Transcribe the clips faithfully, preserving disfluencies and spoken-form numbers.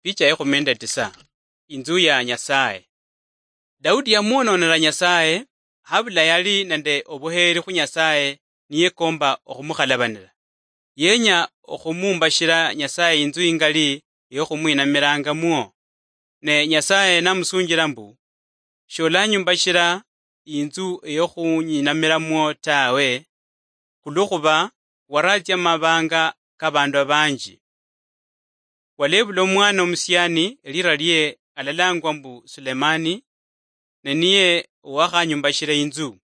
Picha ya ekhumi nende tisa. Inzu ya Nyasaye. Daudi yamwononera Nyasaye, habula yali nende obuheeri khu Nyasaye niyekomba okhumukhalabanira. Yenya okhumumbashira Nyasaye inzu ingali eyokhumwinamirangamwo. Ne Nyasaye namusunjira mbu, "Sholanyumbashira inzu eyokhuninamiramo tawe, khulwokhuba waratsia mumabanga kabandu abanji. Walebula omwana omusiani, elira lie alalangwa mbu Sulemani, ne niye owakhanyumbashira inzu.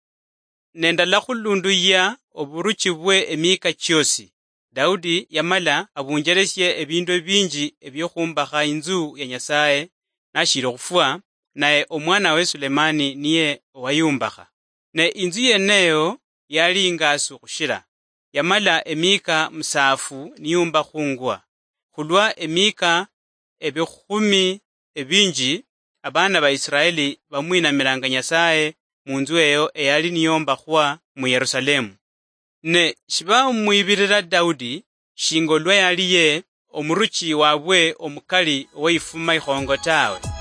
Ne ndalakhulunduya oburuchi bwe emika chiosi." Daudi yamala abunjeresie ebindu ebinji ebiokhumbakha inzu ya Nyasaye nashiri okhufwa, naye omwanawe Sulemani niye owayumbakha. Ne inzu yeneyo yali ingasu khushira, yamala emika musaafu niyumbakhungwa, khulwa emika ebikhumi ebinji abana ba Israeli bamwinamiranga Nyasaye munzu eyo eyali niyombakhwa mu Yerusalemu. Ne shibamwibirira Daudi shinga olwa yali ye omuruchi wabwe omukali oweyifuma ikhongo tawe.